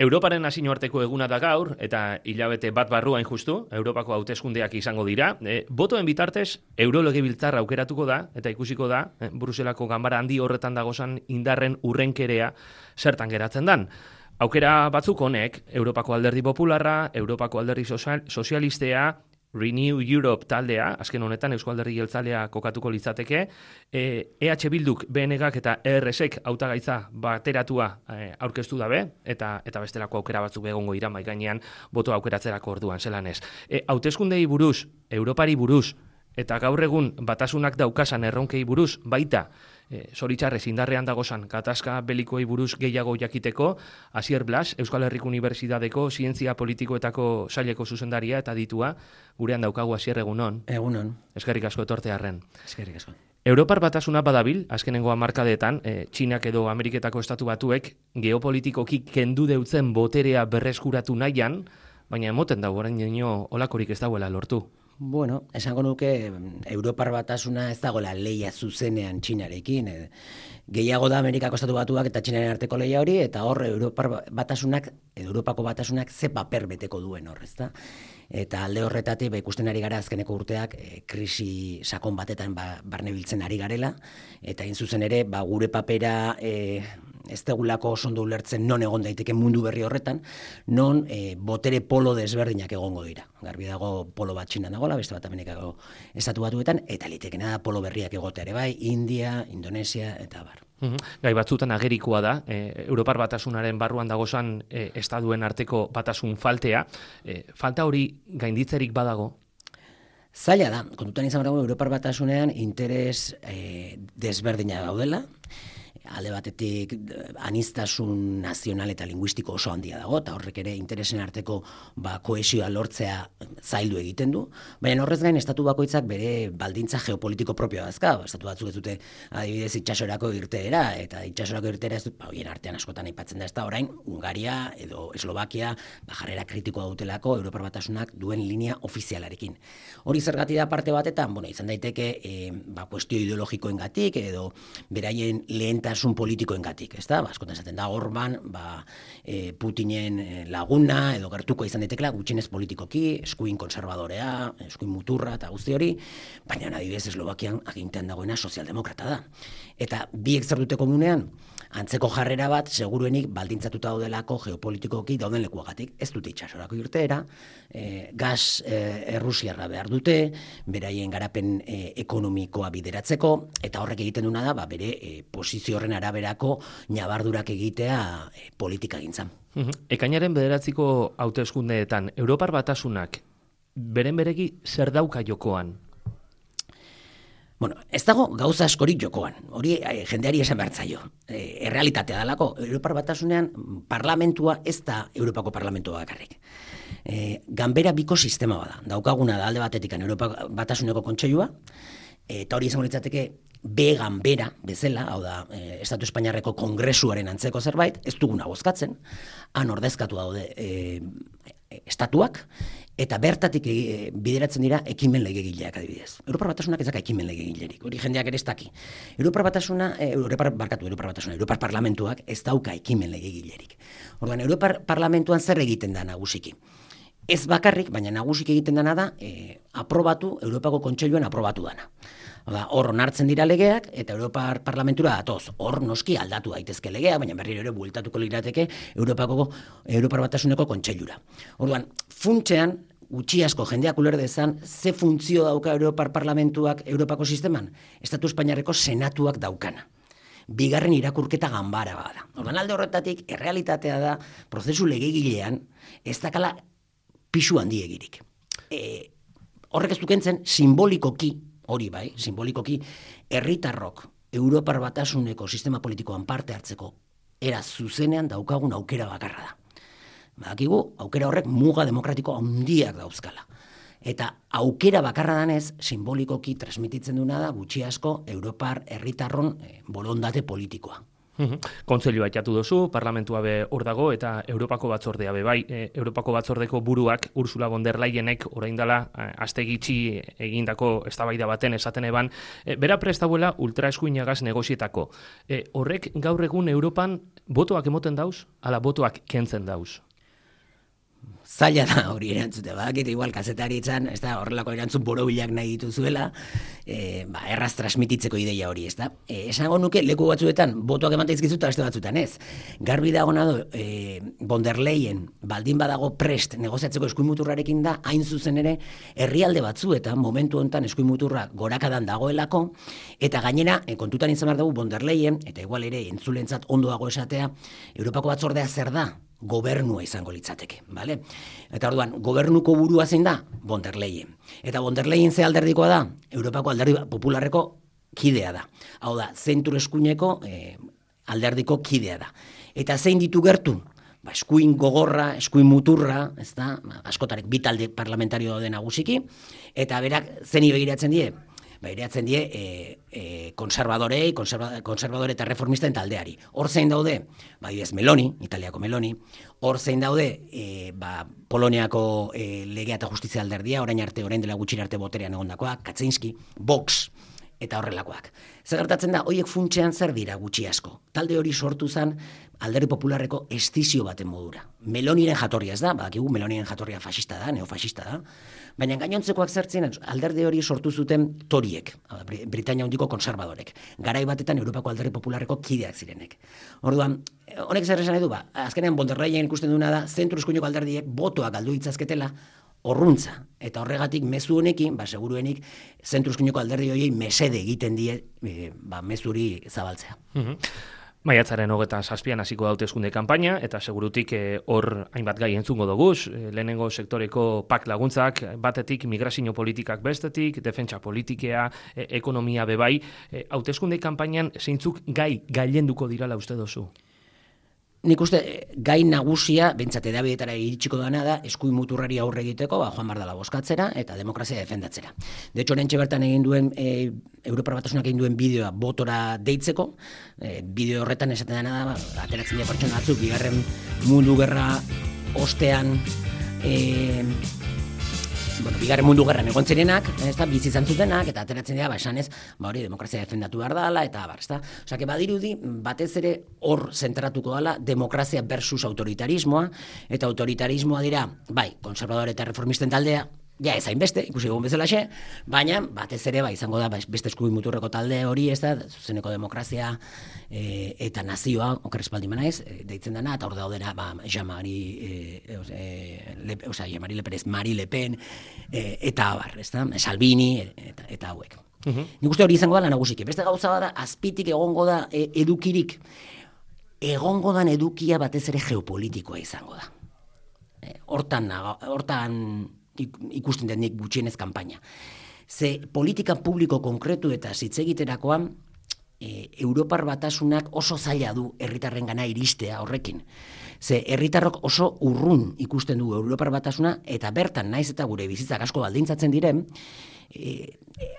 Europaren nazioarteko eguna da gaur, eta hilabete bat barruain justu, Europako hauteskundeak izango dira. Botoen bitartez, Eurolegebiltzar aukeratuko da, eta ikusiko da, Bruselako ganbara handi horretan dagozan indarren urrenkerea zertan geratzen dan. Aukera batzuk honek, Europako Alderdi Popularra, Europako Alderdi Sozialistea, Renew Europe taldea, azken honetan Eusko Alderdi Jeltzalea kokatuko litzateke, EH Bilduk, BNGak eta ERSek hautagaitza bateratua aurkeztu dabe, eta bestelako aukera batzuk egongo dira mahai gainean boto aukeratzerako orduan, zelan ez. Hauteskundei buruz, Europari buruz, eta gaur egun batasunak daukasan erronkei buruz, baita, zoritxarrez indarrean dagozan gatazka belikoei buruz gehiago jakiteko, Asier Blas, Euskal Herriko Unibertsitateko Zientzia Politikoetako saileko zuzendaria eta ditua, gurean daukagu Asier, egunon. Egunon. Eskerrik asko etortearren. Eskerrik asko. Europar batasuna badabil, azkenengo hamarkadetan, Txinak edo Ameriketako estatu batuek geopolitikoki kendu deutzen boterea berreskuratu nahian, baina emoten dago orain dino olakorik ez dagoela lortu. Bueno, esango nuke Europar batasuna ez dagoela leia zuzenean Txinarekin. Gehiago da Amerikako estatu batuak eta Txinaren arteko leia hori, eta hor Europako batasunak ze paper beteko duen hor, ezta? Eta alde horretatik ikusten ari gara azkeneko urteak krisi sakon batetan barnebiltzen ari garela, eta hain zuzen ere gure papera ez degulako oso ondo ulertzen non egon daiteke mundu berri horretan, non botere polo desberdinak egongo dira. Garbi dago polo bat Txinan dagoela, beste bat Amerikako estatu batuetan, eta litekena da polo berriak egotea ere bai, India, Indonesia, eta bar. Gai batzutan agerikoa da, Europar batasunaren barruan dagozan estaduen arteko batasun faltea. Falta hori gainditzerik badago? Zaila da, kontutan izan dago Europar batasunean interes desberdina daudela, alde batetik aniztasun nazional eta linguistiko oso handia dago, eta horrek ere interesen arteko kohesioa lortzea zaildu egiten du, baina horrez gain estatu bakoitzak bere baldintza geopolitiko propioa dazka, estatu batzuk ez dute adibidez itxasorako irteera, eta itxasorako irteera ez dut, horien artean askotan aipatzen da ez da orain, Hungaria edo Eslovakia jarrera kritikoa dutelako Europar batasunak duen linea ofizialarekin. Hori zergatik da parte batetan, izan daiteke kuestio ideologikoengatik edo beraien lehentasun politikoengatik, ezta? Askotan esaten da Orban, Putinen laguna edo gertuko izan daitekela gutxienez politikoki, eskuin konservadorea, eskuin muturra eta guzti hori, baina adibidez Eslovakian agintean dagoena sozialdemokrata da. Eta biek zer dute komunean, antzeko jarrera bat seguruenik baldintzatuta daudelako geopolitikoki dauden lekuagatik. Ez dute itxasorako irteera, gas errusiarra behar dute, beraien garapen ekonomikoa bideratzeko, eta horrek egiten duna da, bere posizio horren araberako nabardurak egitea politika gintzan. Ekainaren 9ko hauteskundeetan, Europar batasunak beren beregi zer dauka jokoan? Bueno, ez dago gauza askorik jokoan, hori jendeari esan behar zaio. Errealitatea dalako, Europar batasunean parlamentua ez da Europako parlamentua bakarrik. Ganbera biko sistema bada, daukaguna da alde batetik Europar batasuneko kontseilua, eta hori izango litzateke B ganbera bezala, hau da, Estatu Espainiarreko kongresuaren antzeko zerbait, ez duguna bozkatzen, han ordezkatu daude estatuak, eta bertatik bideratzen dira ekimen legegileak adibidez. Europar batasunak ez daka ekimen legegilerik, hori jendeak ere ez daki. Europar parlamentuak ez dauka ekimen legegilerik. Orduan, Europar parlamentuan zer egiten da nagusiki? Ez bakarrik, baina nagusik egiten dana da, aprobatu, Europako Kontseiluan aprobatu dana. Hor onartzen dira legeak, eta Europar Parlamentura datoz. Hor noski aldatu daitezke legea, baina berriro ere bueltatuko lirateke Europar Batasuneko Kontseilura. Orduan, funtsean, gutxi asko jendeak uler dezan, ze funtzio dauka Europar Parlamentuak Europako sisteman? Estatu Espainiarreko senatuak daukana. Bigarren irakurketa ganbara bada. Orduan, alde horretatik, errealitatea da, prozesu legegilean, ez dakala pisu handiegirik. Horrek ez dukentzen simbolikoki, hori bai, simbolikoki, herritarrok Europar Batasuneko sistema politikoan parte hartzeko era zuzenean daukagun aukera bakarra da. Badakigu, aukera horrek muga demokratiko handiak dauzkala. Eta aukera bakarra danez, simbolikoki transmititzen duna da gutxi asko Europar herritarron borondate politikoa. Kontseilua aitatu duzu, parlamentua be hor dago, eta Europako batzordea be bai. Europako batzordeko buruak Ursula von der Leyenek orain dela aste gitxi egindako eztabaida baten esaten eban, bera prest dagoela ultraeskuinagaz negozietako. Horrek gaur egun Europan botoak emoten dauz, ala botoak kentzen dauz? Zaila da hori erantzute, badakit igual kazetaritzan, ez da, horrelako erantzun borobilak nahi dituzuela, erraz transmititzeko ideia hori, ez da. Esango nuke, leku batzuetan, botoak emantaizkizu eta beste batzuetan ez. Garbi dago nado, von der Leyen, baldin badago prest negoziatzeko eskuimuturrarekin da, hain zuzen ere, herrialde batzuetan, momentu honetan eskuimuturra gorakadan dagoelako, eta gainera, kontutan izan behar dugu von der Leyen, eta igual ere, entzulentzat ondoago esatea, Europako batzordea zer da? Gobernua izango litzateke, bale? Eta orduan, gobernuko burua zein da? Von der Leyen. Eta von der Leyen ze alderdikoa da? Europako alderdi popularreko kidea da. Hau da, zentru eskuineko alderdiko kidea da. Eta zein ditu gertu? Eskuin gogorra, eskuin muturra, ez da, askotarek bi talde parlamentario daude nagusiki, eta berak zeni begiratzen die? Begiratzen die konservadorei, konservadore eta reformisten taldeari. Hor zein daude? Meloni, Italiako Meloni, hor zein daude Poloniako legea eta justizia alderdia, orain dela gutxira arte boterean egondakoa, Kaczynski, Vox, eta horrelakoak. Zer gertatzen da, horiek funtsean zer dira gutxi asko. Talde hori sortu zen alderdi popularreko estizio baten modura. Meloniren jatorria ez da, badakigu Meloniren jatorria fascista da, neofascista da, baina gainontzekoak zertzen alderdi hori sortu zuten toriek, Britania handiko konservadorek, garai batetan Europako alderdi popularreko kideak zirenek. Orduan, honek zer esan edu, azkenean von der Leyen ikusten duna da, zentru eskuineko alderdiek botoak galdu ditzazketela, horruntza, eta horregatik mezu honekin, seguruenik, zentru eskuineko alderdi horiei mesede egiten die mezuri zabaltzea. Maiatzaren 27an hasiko da hauteskunde kanpaina, eta segurutik hor hainbat gai entzungo doguz, lehenengo sektoreko PAK laguntzak, batetik migrazio politikak bestetik, defentsa politikea, ekonomia bebai, hauteskunde kanpainan zeintzuk gai gailenduko dirala uste dozu? Nik uste, gai nagusia, bentsat edabietara iritsiko dana da, eskuin muturrari aurre egiteko, joan bardala boskatzera eta demokrazia defendatzera. De hecho, orentxe bertan egin duen, Europar Batasunak egin duen bideoa botora deitzeko, bideo horretan esaten dena da, ateratzen dira pertsona batzuk, bigarren mundu gerra ostean, bigarren mundu gerran egon zirenak, bizi izan zutenak, eta ateratzen dira, esanez, hori demokrazia defendatu behar dala, eta Osea, badirudi, batez ere hor zentratuko dala, demokrazia versus autoritarismoa, eta autoritarismoa dira, konservadore eta reformisten taldea, ja ez hainbeste, ikusi egun bezalaxe, baina batez ere izango da beste eskuin muturreko talde hori, ez da, zuzeneko demokrazia eta nazioa, oker espaldi manaiz, deitzen dena, eta hor daudena Jean-Marie Le Pen, Marie Le Pen, eta abar, ez da, Salvini, eta hauek. Nik uste hori izango da nagusiki. Beste gauza bada, azpitik egongo da edukirik, egongo dan edukia batez ere geopolitikoa izango da. Hortan ikusten den nik gutxienez kanpaina. Ze politika publiko konkretu eta zitzegiterakoan, Europar Batasunak oso zaila du herritarrengana iristea horrekin. Ze herritarrok oso urrun ikusten du Europar Batasuna, eta bertan naiz eta gure bizitzak asko baldintzatzen diren,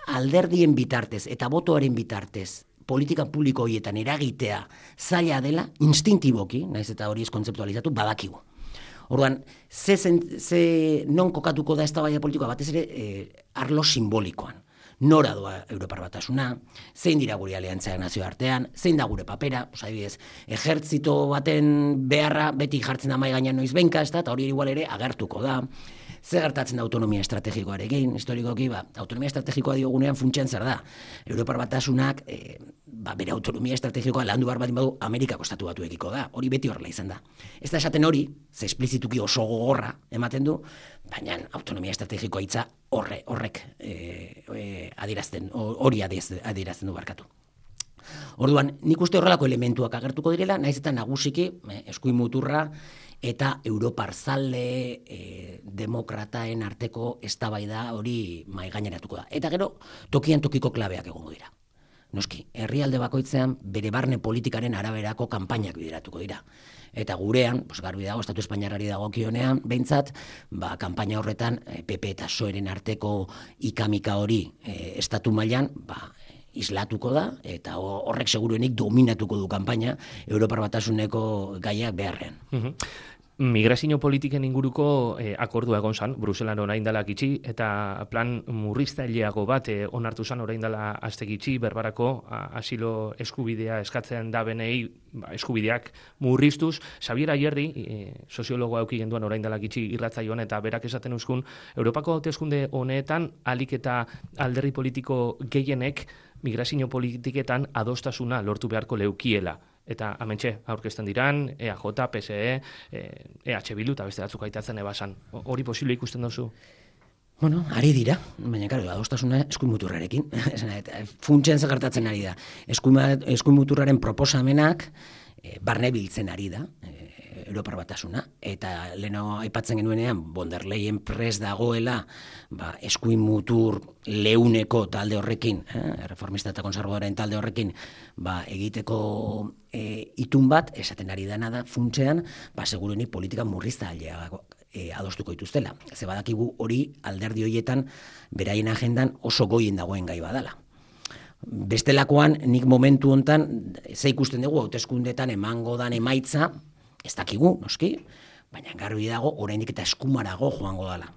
alderdien bitartez eta botoaren bitartez politika publiko horietan eragitea zaila dela, instintiboki, naiz eta hori ez kontzeptualizatu, badakigu. Orduan, non kokatuko da eztabaida politikoa batez ere arlo simbolikoan. Nora doa Europar Batasuna, zein dira gure aliantzak nazioartean, zein da gure papera, adibidez, ejertzito baten beharra beti jartzen da mahai gainean noiz benka, eta hori igual ere agertuko da. Zer gertatzen da autonomia estrategikoarekin, historikoki, autonomia estrategikoa diogunean funtsean zer da. Europar Batasunak, bere autonomia estrategikoa landu behar baldin badu Amerikako estatu batuekiko da, hori beti horrela izan da. Ez da esaten hori, ze esplizituki oso gogorra ematen du, baina autonomia estrategikoa hitza horrek hori adierazten du barkatu. Orduan, nik uste horrelako elementuak agertuko direla, naiz eta nagusiki, eskuin muturra, eta Europar zale demokrataen arteko eztabaida hori maigaineratuko da. Eta gero, tokian tokiko klabeak egongo dira. Noski, herrialde bakoitzean bere barne politikaren araberako kanpainak bideratuko dira. Eta gurean, garbi dago, Estatu Espainiarrari dagokionean, behintzat, kanpaina horretan PP eta PSOEren arteko ikamika hori estatu mailan, islatuko da, eta horrek seguruenik dominatuko du kanpaina Europar Batasuneko gaiak beharrean. Migrazio politiken inguruko akordua egon zan, Bruselan orain dela gitxi, eta plan murriztaileago bat onartu zan orain dela aste gitxi, berbarako asilo eskubidea eskatzen da benei eskubideak murriztuz. Xabier Ayerdi, soziologoa eduki genduan orain dela gitxi irratzaioan, eta berak esaten euskun, Europako hauteskunde honetan alik eta alderdi politiko gehienek migrazio politiketan adostasuna lortu beharko leukiela. Eta amentxe aurkezten diran, EAJ, PSE, EH Bildu eta beste batzuk aitatzen ebasan. Hori posible ikusten duzu? Bueno, ari dira, baina karo, adostasuna eskuinmuturrarekin. Funtsean zagartatzen ari da. Eskuinmuturraren proposamenak barne biltzen ari da, Europar Batasuna, eta leheno aipatzen genuenean, von der Leyen prest dagoela eskuin mutur leuneko talde horrekin, reformista eta konservadoren talde horrekin, egiteko itun bat, esaten ari dana da, funtsean, seguruenik politika murriztailea adostuko dituztela. Ze badakigu hori alderdi horietan beraien agendan oso goien dagoen gai badala. Bestelakoan, nik momentu hontan, ze ikusten dugu, hauteskundetan emango dan emaitza, ez dakigu, noski, baina garbi dago, oraindik eta eskumarago joango dala.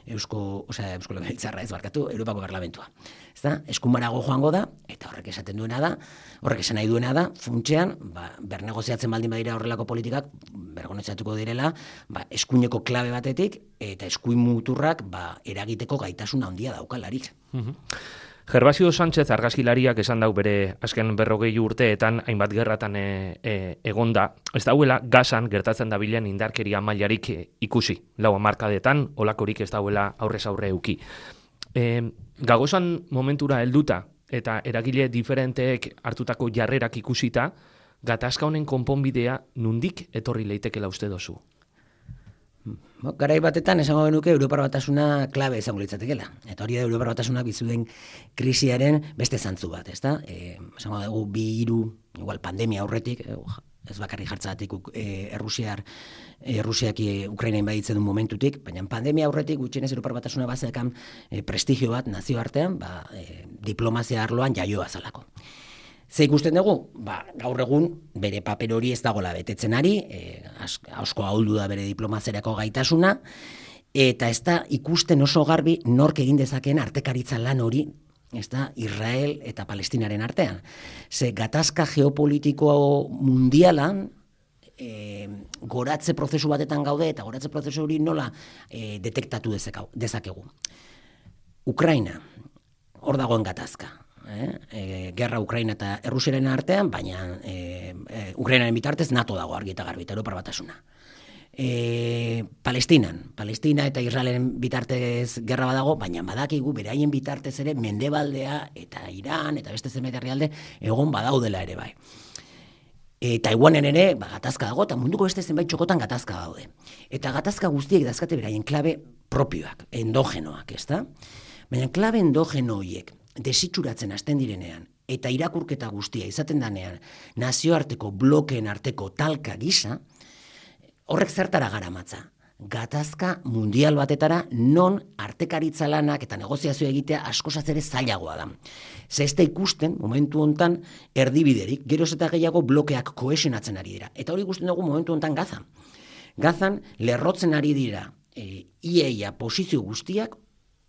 Eusko Legebiltzarra ez barkatu, Europako Parlamentua. Ezta? Eskumarago joango da, eta horrek esaten duena da, horrek esan nahi duena da, funtsean, bernegoziatzen baldin badira horrelako politikak, bergoneziatuko direla, eskuineko klabe batetik, eta eskuin muturrak eragiteko gaitasuna handia daukalarik. Gervasio Sánchez argazkilariak esan dau bere azken 40 urteetan hainbat gerratan egonda. Ez dauela Gazan gertatzen dabilen indarkeria mailarik ikusi. 4 hamarkadetan olakorik ez dauela aurrez aurre euki. Gagozan momentura helduta eta eragile diferenteek hartutako jarrerak ikusita, gatazka honen konponbidea nundik etorri leitekela uste dozu? Garai batetan esango genuke Europar Batasuna klabe izango litzatekeela. Eta hori da Europar Batasunak bizuden krisiaren beste zantzu bat, ezta? Esango dugu 2-3, igual pandemia aurretik, ez bakarrik jartzagatik Errusiak Ukraina inbaditzen duen momentutik, baina pandemia aurretik gutxienez Europar Batasuna bazekan prestigio bat nazioartean, diplomazia arloan jaioa zalako. Ze ikusten dugu? Gaur egun bere paper hori ez dagoela betetzen ari, asko ahuldu da bere diplomazerako gaitasuna, eta ez da ikusten oso garbi nork egin dezakeen artekaritza lan hori, ez da Israel eta Palestinaren artean. Ze gatazka geopolitiko mundialan, goratze prozesu batetan gaude, eta goratze prozesu hori nola detektatu dezakegu. Ukraina, hor dagoen gatazka. Gerra Ukraina eta Errusiaren artean, baina Ukrainaren bitartez NATO dago argi eta garbi, eta Europar Batasuna. Palestina eta Israelen bitartez gerra badago, baina badakigu beraien bitartez ere Mendebaldea eta Iran eta beste zenbait herrialde egon badaudela ere bai. Taiwanen ere gatazka dago, eta munduko beste zenbait txokotan gatazka daude. Eta gatazka guztiek dazkate beraien klabe propioak, endogenoak, ezta? Baina klabe endogeno horiek desitxuratzen hasten direnean, eta irakurketa guztia izaten danean, nazioarteko blokeen arteko talka gisa, horrek zertara garamatza. Gatazka mundial batetara non artekaritza lanak eta negoziazio egitea askozaz ere zailagoa da. Ze ez da ikusten, momentu hontan, erdibiderik, geroz eta gehiago blokeak kohesionatzen ari dira. Eta hori ikusten dugu momentu hontan Gazan. Gazan lerrotzen ari dira iaia posizio guztiak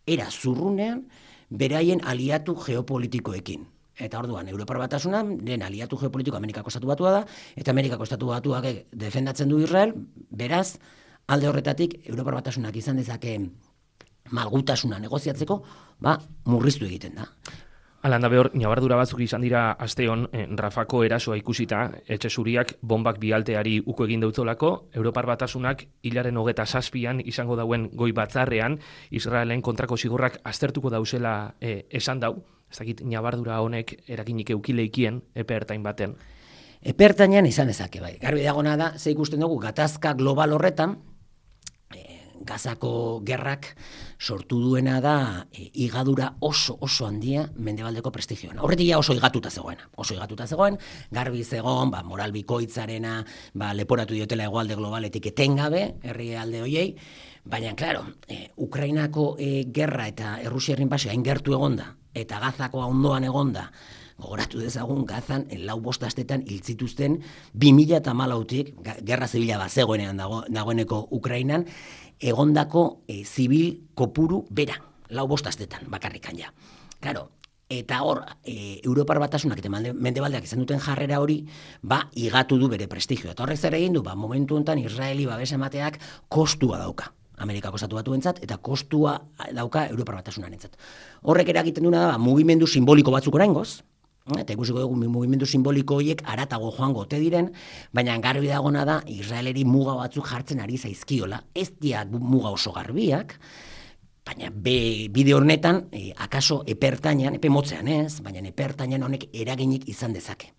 era zurrunean beraien aliatu geopolitikoekin. Eta orduan, Europar Batasuna, den aliatu geopolitiko Amerikako Estatu Batua da, eta Amerikako Estatu Batuak defendatzen du Israel, beraz, alde horretatik, Europar Batasunak izan dezake malgutasuna negoziatzeko, murriztu egiten da. Alanda behor, nabardura batzuk izan dira asteon, Rafako erasoa ikusita, etxe zuriak bombak bialteari uko egin deutzolako, Europar Batasunak hilaren 27an izango dauen goi batzarrean, Israelen kontrako zigorrak aztertuko dauzela esan dau, ez dakit nabardura honek erakinik eukileikien epe ertain baten. Epe ertainan izan ezake bai. Garbi dagona da, ze ikusten dugu, gatazka global horretan, Gazako gerrak sortu duena da higadura oso handia mendebaldeko prestigioan. Horretik oso higatuta zegoen, garbi zegoen, moral bikoitzarena, leporatu diotela hegoalde globaletik etengabe, herrialde hoiei, baina, klaro, Ukrainako gerra eta Errusiaren inbasio hain gertu egonda, eta Gazakoa ondoan egonda, gogoratu dezagun Gazan 4-5 astetan hil zituzten 2014tik, gerra zibila bazegoenean dagoeneko Ukrainan, egondako zibil kopuru bera, 4-5 astetan bakarrikan ja. Claro, eta hor, Europar Batasunak eta Mendebaldeak izan duten jarrera hori, igatu du bere prestigioa. Eta horrek zer egin du, momentu honetan Israeli babes emateak kostua dauka. Amerikako Estatu Batuentzat eta kostua dauka Europar Batasunarentzat. Horrek eragiten duena da, mugimendu simboliko batzuk oraingoz, eta ikusiko dugu mugimendu simboliko horiek haratago joango ote diren, baina garbi dagona da Israeleri muga batzuk jartzen ari zaizkiola, ez dira muga oso garbiak, baina bide honetan, akaso epe motzean ez, baina epertainan honek eraginik izan dezake.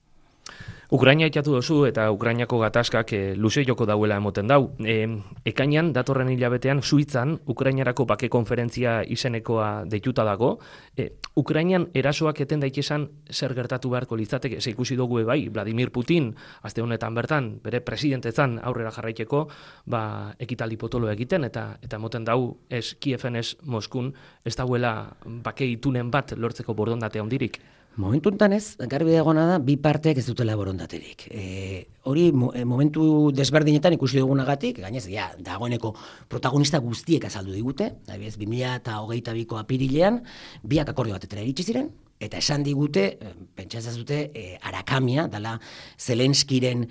Ukraina itatu dozu eta Ukrainako gatazkak luze joko dauela emoten dau. Ekainan, datorren hilabetean, Suitzan, Ukrainarako bake konferentzia izenekoa deituta dago. Ukrainan erasoak eten daitezan zer gertatu beharko litzateke, ze ikusi dugu bai, Vladimir Putin, aste honetan bertan, bere presidentetzan aurrera jarraiteko, ekitaldi potolo egiten, eta emoten dau, ez Kieven ez Moskun, ez dauela bake itunen bat lortzeko borondatea hondirik. Momentu enten ez, garbi dagoena da, bi parteek ez dutela borondaterik. Hori momentu desberdinetan ikusi dugunagatik, gainez, dagoeneko protagonista guztiek azaldu digute, 2022ko apirilean, biak akordio batetara iritsi ziren, eta esan digute, pentsazazute, Arakamia, dala Zelenskiren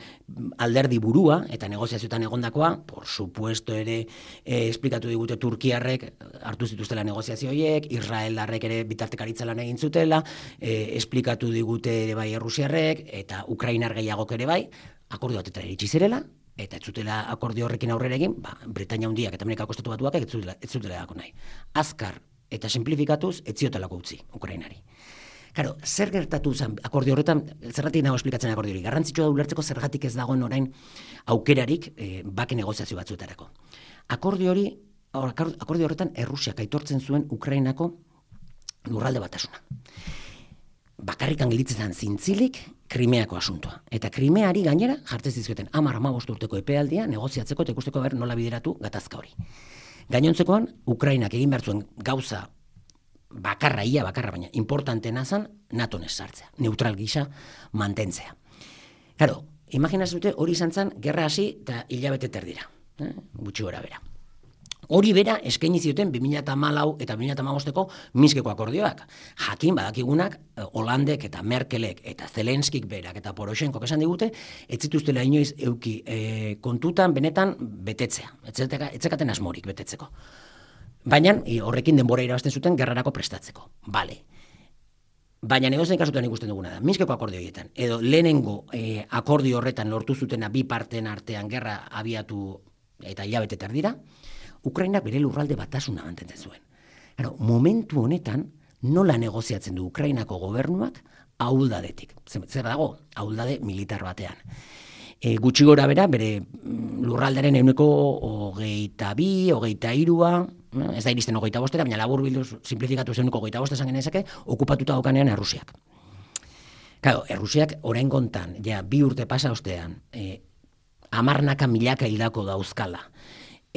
alderdi burua, eta negoziazioetan egondakoa, por supuesto ere, esplikatu digute Turkiarrek hartu zituztela negoziazio horiek, Israeldarrek ere bitartekaritza lan egin zutela, esplikatu digute ere bai Errusiarrek, eta Ukrainar gehiagok ere bai, akordio batetara iritsi zirela, eta ez zutela akordio horrekin aurrera egin, Britainia Handiak eta Amerikako Estatu Batuak ez zutela dako nahi. Azkar eta simplifikatuz, ez ziotelako utzi Ukrainari. Claro, zer gertatu zen akordio horretan, zergatik nago esplikatzen akordio hori. Garrantzitsua da ulertzeko zergatik ez dagoen orain aukerarik bake negoziazio batzuetarako. Akordio horretan Errusiak aitortzen zuen Ukrainako lurralde batasuna. Bakarrikan gelditzen zintzilik Krimeako asuntoa. Eta Krimeari gainera jartzen zizkioten 10-15 urteko epealdia negoziatzeko eta ikusteko nola bideratu gatazka hori. Gainontzekoan, Ukrainak egin behar zuen gauza bakarra, baina importantena zen NATO-n ez sartzea, neutral gisa mantentzea. Claro, imaginazute hori izan zen gerra hasi eta hilabete terdira, gutxi gora bera. Hori bera eskaini zioten 2014 eta 2015ko Minskeko akordioak. Jakin badakigunak Holandek eta Merkelek eta Zelenskik berak eta Poroshenkok esan digute, ez zituztela inoiz euki kontutan benetan betetzea. Etzekaten asmorik betetzeko. Baina horrekin denbora irabazten zuten gerrarako prestatzeko. Bale. Baina negozien kasutan ikusten duguna da, Minskeko akordio horietan, edo lehenengo akordio horretan lortu zutena bi parteen artean gerra abiatu eta hilabete terdira, Ukrainak bere lurralde batasuna mantentzen zuen. Claro, momentu honetan nola negoziatzen du Ukrainako gobernuak ahuldadetik. Zer dago? Ahuldade militar batean. Gutxi gora bera, bere lurraldaren 22, 23, ez da iristen 25, baina labur bilduz simplifikatu 25 esan genezake, okupatuta daukanean Errusiak. Claro, Errusiak orain kontan, ja, 2 urte pasa ostean, 10 milaka hildako dauzkala,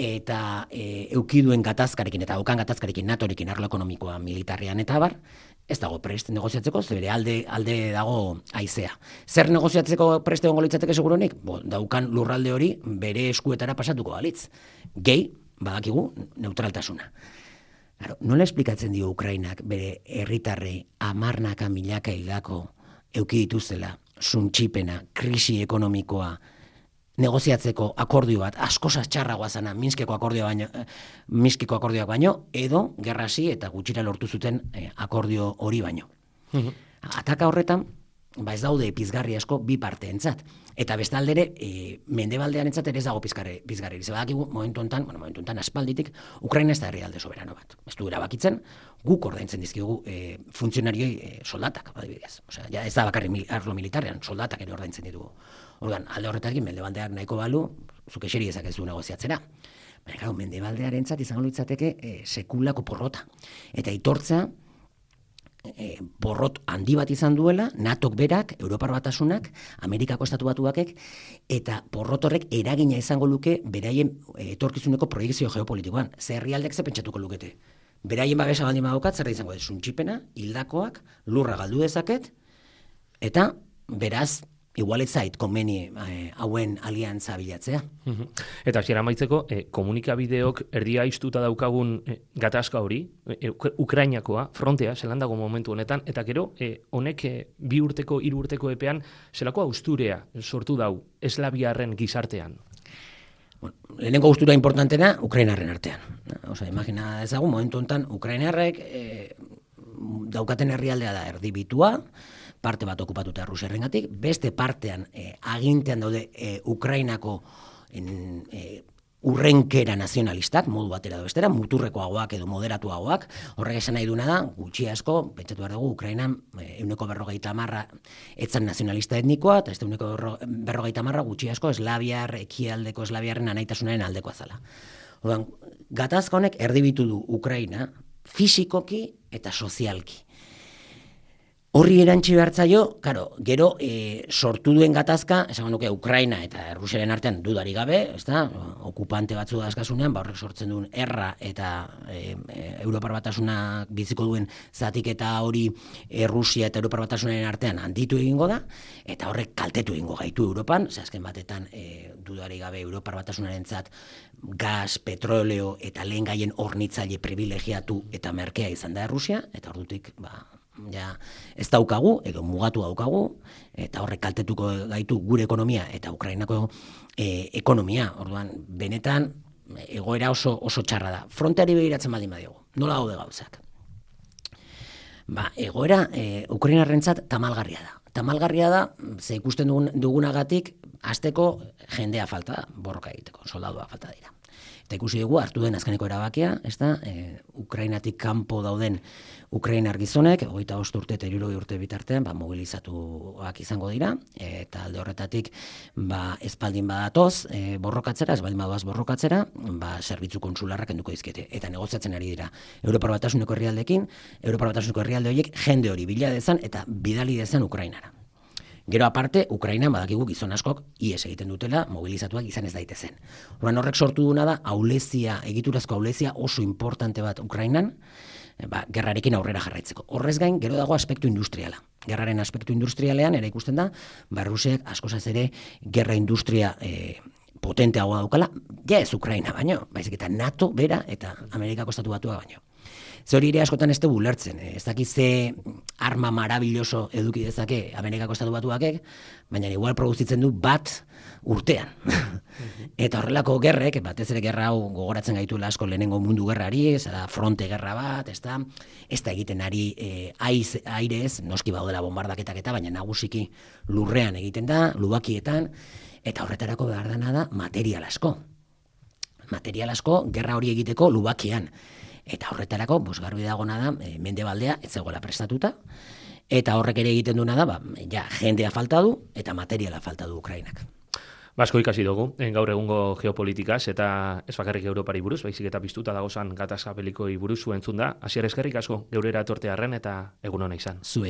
eta eukiduen gatazkarekin, eta daukan gatazkarekin NATOrekin arlo ekonomikoa militarrean eta abar, ez dago prest negoziatzeko, zebere alde dago haizea. Zer negoziatzeko prest egongo litzateke seguronik? Daukan lurralde hori bere eskuetara pasatuko balitz. Gehi, badakigu, neutraltasuna. Nola esplikatzen dio Ukrainak bere herritarrei 10 milaka hildako euki dituzela, suntxipena, krisi ekonomikoa, negoziatzeko akordio bat, askoz txarragoa zana Minskeko akordioak baino, edo gerrasi eta gutxira lortu zuten akordio hori baino. Ataka horretan, ez daude pizgarri asko bi parteentzat. Eta bestaldere, mendebaldearentzat ere ez dago pizgarri. Zebadakigu, momentu honetan aspalditik, Ukraina ez da herrialde soberano bat. Ez du erabakitzen, guk ordaintzen dizkigu funtzionarioi soldatak, adibidez. Osea, ez da bakarri arlo militarrean, soldatak ere ordaintzen ditugu. Orduan, alde horretatik, mendebaldeak nahiko balu, zuk eseri ezakezu negoziatzera. Baina, claro, mendebaldearentzat izango litzateke sekulako porrota. Eta aitortzea, porrot handi bat izan duela, NATOk berak, Europar Batasunak, Amerikako Estatu Batuakek, eta porrot horrek eragina izango luke beraien etorkizuneko proiekzio geopolitikoan. Ze herrialdek ze pentsatuko lukete? beraien babesa baldin badaukat, zer da izango dut, suntxipena, hildakoak, lurra galdu dezaket, eta beraz, igual ez zait komeni hauen aliantza bilatzea. Eta hasiera amaitzeko, komunikabideok erdia iztuta daukagun gatazka hori, Ukrainakoa, frontea, zelan dago momentu honetan, eta gero, honek 2 urteko, 3 urteko epean, zelako austurea sortu dau eslaviarren gizartean? Bueno, lehenengo gustura importantena, Ukrainarren artean. Osa, imagina ezagun, momentu honetan, Ukrainarrek daukaten herrialdea da erdibitua, parte bat okupatuta Rusiarrengatik, beste partean agintean daude Ukrainako urrenkera nazionalistak, modu batera edo bestera, muturrekoagoak edo moderatuagoak, horrek esan nahi duna da, gutxi asko, pentsatu behar dugu, Ukrainan 40% etzan nazionalista etnikoa, eta 40% gutxi asko ekialdeko eslaviarren anaitasunaren aldekoa zala. Orduan, gatazka honek erdibitu du Ukraina fisikoki eta sozialki. Horri erantzi behartzaio, gero sortu duen gatazka, esan nuke Ukraina eta Rusiaren artean dudari gabe, ezta, okupante batzu dazkasunean, horrek sortzen duen erra eta Europar Batasunak biziko duen zatiketa hori Rusia eta Europar Batasunaren artean handitu egingo da, eta horrek kaltetu egingo gaitu Europan, azken batetan dudari gabe Europar Batasunarentzat gas, petroleo eta lehen gaien hornitzaile privilegiatu eta merkea izan da Rusia, eta ordutik, ja, ez daukagu, edo mugatu daukagu, eta horrek kaltetuko gaitu gure ekonomia eta Ukrainako ekonomia. Orduan, benetan, egoera oso txarra da. Fronteari begiratzen baldin badiogu. Nola gaude gauzak? Egoera Ukrainarrentzat tamalgarria da. Tamalgarria da, ze ikusten dugunagatik, hasteko jendea falta da, borroka egiteko, soldadua falta dira. Eta ikusi dugu, hartu den azkeneko erabakia, Ukrainatik kanpo dauden Ukrainar gizonek, 25 urte eta 60 urte bitartean, mobilizatuak izango dira, eta alde horretatik, espaldin badatoz borrokatzera, espaldin badoaz borrokatzera, zerbitzu konsularrak kenduko dizkiete, eta negoziatzen ari dira Europar Batasuneko herrialdeekin, Europar Batasuneko herrialde horiek jende hori bila dezan eta bidali dezan Ukrainara. Gero aparte, Ukrainan badakigu gizon askok ihes egiten dutela, mobilizatuak izan ez daitezen. Orduan horrek sortu duna da, egiturazko aulezia oso importante bat Ukrainan, gerrarekin aurrera jarraitzeko. Horrez gain, gero dago aspektu industriala. Gerraren aspektu industrialean, ere ikusten da, Rusiak askozaz ere gerra industria potenteagoa daukala, ja ez Ukraina baino, baizik eta NATO bera eta Amerikako Estatu Batua baino. Ze hori ere askotan ez dugu ulertzen, ez dakiz ze arma marabilloso eduki dezake Amerikako Estatu Batuakek, baina igual produzitzen du bat urtean. Eta horrelako gerrek, batez ere gerra hau gogoratzen gaituela asko lehenengo mundu gerrari, ez da fronte gerra bat, ez da egiten ari airez, noski baudela bombardaketak eta, baina nagusiki lurrean egiten da, lubakietan, eta horretarako behar dena da material asko. Material asko gerra hori egiteko lubakian. Eta horretarako, garbi dagona da, mendebaldea ez zegoela prestatuta, eta horrek ere egiten duena da, jendea falta du, eta materiala falta du Ukrainak. Asko ikasi dugu, gaur egungo geopolitikaz, eta ez bakarrik Europari buruz, baizik eta piztuta dagozan gatazka belikoi buruz zuen da. Hasier eskerrik asko, geurera etortearren eta egun hona izan. Zuei.